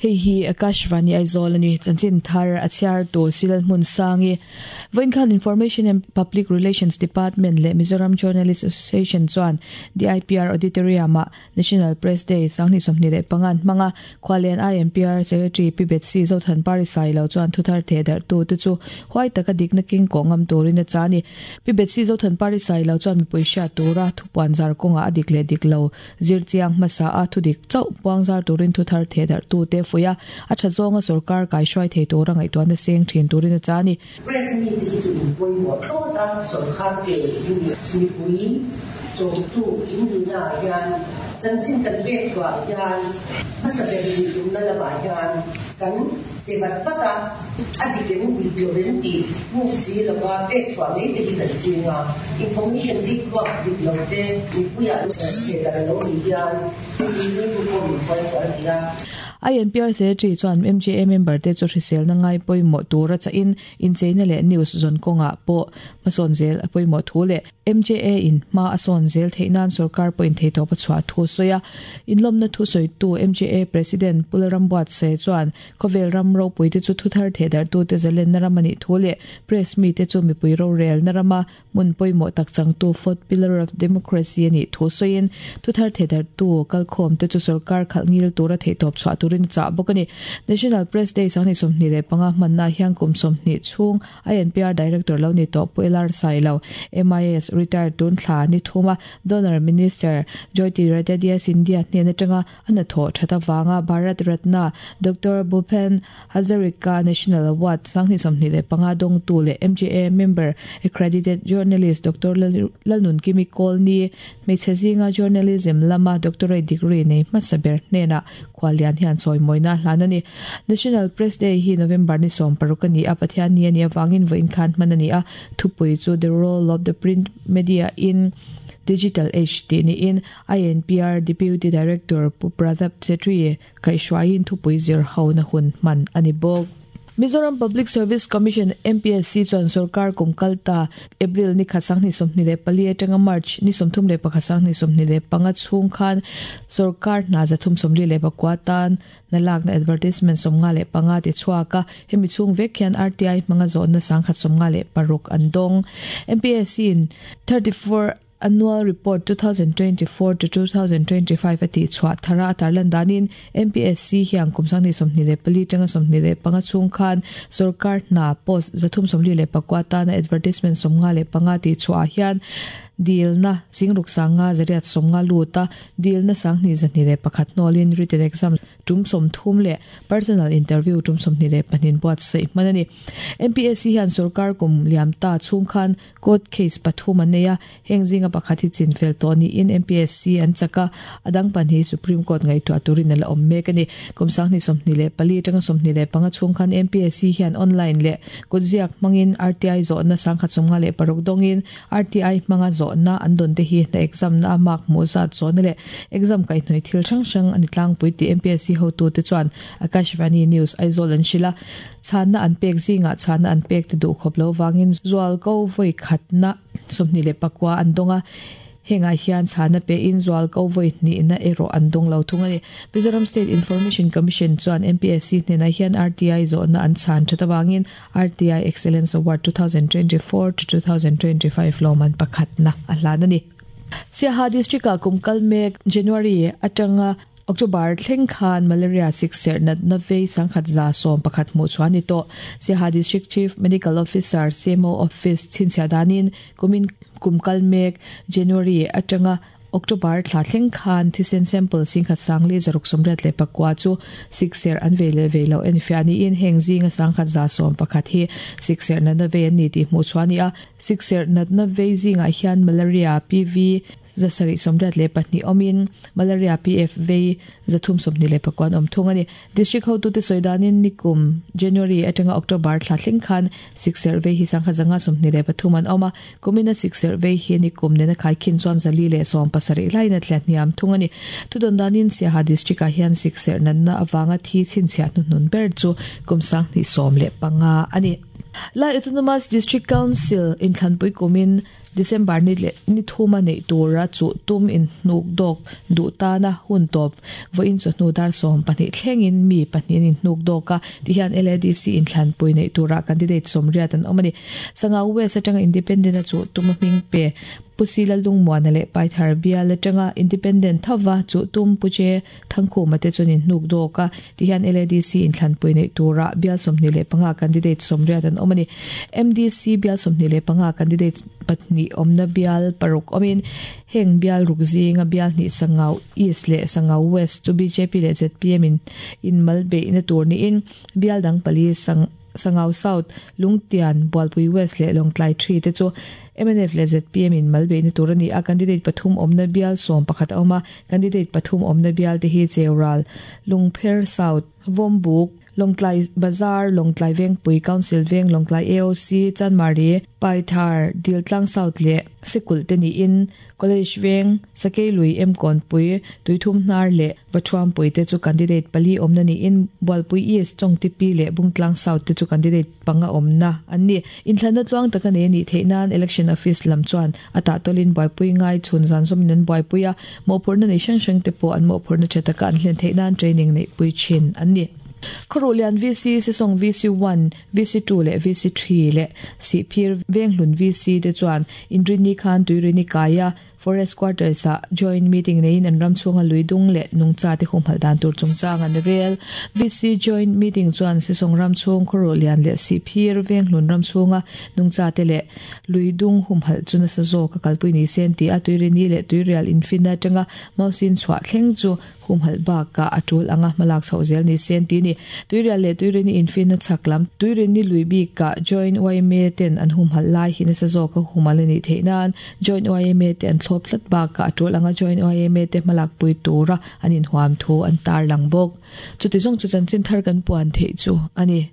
Hei hi Akashvani Aizawl a ni. Chanchin thar a chhiar tu Silal Hmunsangi. Vawiin khan Information and Public Relations Department leh Mizoram Journalist Association chuan DIPR Auditorium ah National Press Day 2025 an hmang a. Khualian INPR Secretary Pi Betsy Zothanpari Sailo chuan thuthar thehdarh tute chu huai taka dikna keng kawh ngam turin a chah a ni. Pi Betsy Zothanpari Sailo chuan mipui hriat tura thupuan zar kawngah a dik leh dik lo Zir chiang hmasa a thudik chauh puangzar turin thuthar thehdarh tute fuih a, a tha zawnga sorkar kaihruai thei tura ngaihtuahna seng thin turin a chah a ni. Press mite hi chu in pawimawh thlawt a, sorkar te mipui chawmtu in nihna ah hian chanchin kan pek chhuah hian hmasa ber nih tumna lamah hian kan pe vat vat a, a dik em dik lo em tih hmuh si lova pek chhuah mai te hi kan ching a, information dik vak dik lo te mipuiah thehdarh a lo nih hian mi rilru pawh min hruai sual thei a. INPR Secretary chuan MJA member te chu hriselna ngai pawimawh tura chahin incheina leh news zawn kawngah pawh hmasawn zel a pawimawh thu leh MJA in hma a sawn zel theih nan sorkar pawhin theihtawp a chhuah thu a sawi a. Inlawmna thusawitu MJA President Pu Lalrambuatsaia chuan khawvel ram ropuite chu thuthar thehdarhtute zalenna ram a nih thu leh press mite chu mipui rorelna rama hmun pawimawh tak changtu fourth pillar of democracy a nih thu sawiin thuthar thehdarhtu kalkhawmte chu sorkar khalh ngil tura theihtawp chhuah turin a chah bawk a ni. National Press Day 2025 hmanna hian kum 20 chhung INPR Director lo ni tawh Pu LR Sailo, MIS, retired tun thla ni thuma Donor Minister Jyoti Radadya Scindia hnen atanga a hnathawh that avanga Bharat Ratna Doctor Bhupen Hazarika National Award 2025 dawngtu leh MJA Member Accredited Journalist Doctor Lalnunkimi Kawlni hmeichhe zinga Journalism lama Doctorate degree nei hmasa ber hnenah Khuallian hian chawimawina a hlan a ni. National Press Day hi November ni 16 a ni a, Pathian ni a nih avangin vawiin khan hman a ni a, thupui chu The Role of the Print Media in Digital Age tih niin INPR Deputy Director Pu Pratap Chetri kaihhruaiin thupui zir hona hun hman a ni bawk. Mizoram Public Service Commission, MPSC, chuan sorkar kum kal ta April ni khat 2024 atanga March ni 31 2025 chhung khan sorkar hna 349 tan hna lakna advertisement 55 ti chhuak a, hemi chhung vek hian RTI hmanga zawhna 156 an dawng. MPSC in 34 Annual Report 2024 to 2025 a tih chhuah thara a tarlan danin MPSC hian kum 2024 tanga 25 chhung khan sorkar hna post 344 tana advertisement 55 tih chhuah ah hian dilna singruk sanga zariat sawmnga lut a, dilna 2201 hnawlin written exam tum 30 leh personal interview tum 22 buatsaih hman a ni. MPSC hian sorkar kum liam ta chhung khan Court case pathum an nei a, heng zinga pakhat hi chinfel tawh niin MPSC an chak a, a dang pahnih Supreme Court ngaihtuah turin a la awm mek a ni. Kum 2024 atanga 25 chhung khan MPSC hian online leh kutziak hmangin RTI zawhna 1056 dawngin RTI hmanga zawhna an dawn te hi hna exam na a mark hmuh zat zawhna leh exam kaihhnawih thil hrang hrang a ni tlangpui tih MPSC hotute chuan Akashvani News Aizawl an hrilh a. Chhanna an pek zingah chhanna an pek te duh khawp lo vangin zualko vawi khatna 29 an dawng a, hengah hian chhanna pehin zualko vawi hnihna erawh an dawng lo thung a ni. Mizoram State Information Commission chuan MPSC hnenah hian RTI zawhna an chhan that avangin RTI Excellence Award 2024 to 2025 lawmman pakhatna a hlan a ni. Siaha District-ah kum kal mek January atanga October thleng khan malaria sikserh natna vei 1111 hmuh chhuah a ni tawh. Siaha District Chief Medical Officer, CMO, Office chhinchhiah danin kumin kum kal mek January atanga October thla thleng khan thisen sample 16,689 chu sikserh an vei leh vei loh enfiah niin heng zinga 1111 hi sikserh natna vei an ni tih hmuh chhuah a ni a. Sikserh natna vei zingah hian malaria, PV, 782 awmin Malaria PF vei 324 an awm thung a ni. District hotute sawi danin nikum January atanga October thla thleng khan sikserh vei hi 523 an awm a, kumina sikserh vei hi nikum nena khaikhin chuan 417 laiin a tliah hniam thung a ni. Thudawn danin Siaha District ah hian sikserh natna avanga thi chhinchhiah hnuhnun ber chu kum 2015 a ni. Lai Autonomous District Council inthlanpui kumin. December ni leh ni thuma neih tura chuh tum inhnukdawk duh tana hun tawp vawiin chawhnu dar 12 thlengin mi pahnih an inhnukdawk a, tihian LADC inthlanpui neih tura candidate sawmriat an awm a ni. Sangau West atanga Independent a chuh tum a hming pe Pu Sila Lungmuana leh Paithar bial atanga Independent thova chuh tum Pu Che Thangkhuma te chuan inhnukdawk a, tihian LADC inthlanpui neih tura bial 25 candidate sawmriat an awm a ni. MDC bial 25 candidate pahnih awmna bial paruk awmin heng bial ruk zinga bial hnih Sangau East leh Sangau West chu bjp leh zpm in inmal beihna tur niin bial dang pali Sangau South, Lungtian, Bualpui West leh Lawngtlai 3 te chu MNF leh zpm in mal beihna tur a ni a. Candidate pathum awmna bial 11 a awm a, candidate pathum awmna bial te hi Cheural, Lungpher South, Vawmbuk, Lawngtlai Bazar, Lawngtlai Vengpui, Council Veng, Lawngtlai AOC, Chanmari, Paithar, Diltlang South leh Sikul te niin College Veng, Sakeilui, Emkawnpui, Tuithum Hnar leh Vathuampui te chu candidate pali awmna niin Bualpui East, Chawngtipi leh Bungtlang South te chu candidate panga awmna an ni. Inthlanna tluang taka nei a nih theih nan Election Office lam chuan a tahtawlin buaipui ngai chhun zan zawmin an buaipui a, mawhphurhna nei hrang hrang te pawh an mawhphurhna tha taka an hlen theih nan training neihpui thin an ni. Khawruhlian VC, Sesawng VC 1, VC 2 leh VC 3 leh Sihphir Venghlun VC te chuan Inrinni khan Tuirini kaia Forest Quarters ah joint meeting neiin an ram chhunga luidung leh nungcha te humhalh dan tur chungchang an rel. VC joint meeting chuan Sesawng ram chhung Khawruhlian leh Sihphir Venghlun ram chhunga nungcha te leh luidung humhalh chu nasa zawk a kalpui ni se an ti a. Tuirini leh Tuirial infinna atanga Mausin chhuah thleng chu humhalh bakah a tul anga hmalak chhoh zel ni se an ti ni. Tuirial leh Tuirini infinna chhak lam Tuirini lui bikah Joint YMA ten an humhalh lai hi nasa zawk a humhalh a nih theih nan Joint YMA te an thlawp tlat bakah a tul anga Joint YMA te hmalak pui tura an inhuam thu an tarlang bawk. Chuti zawng chu chanchin thar kan puan theih chu a ni.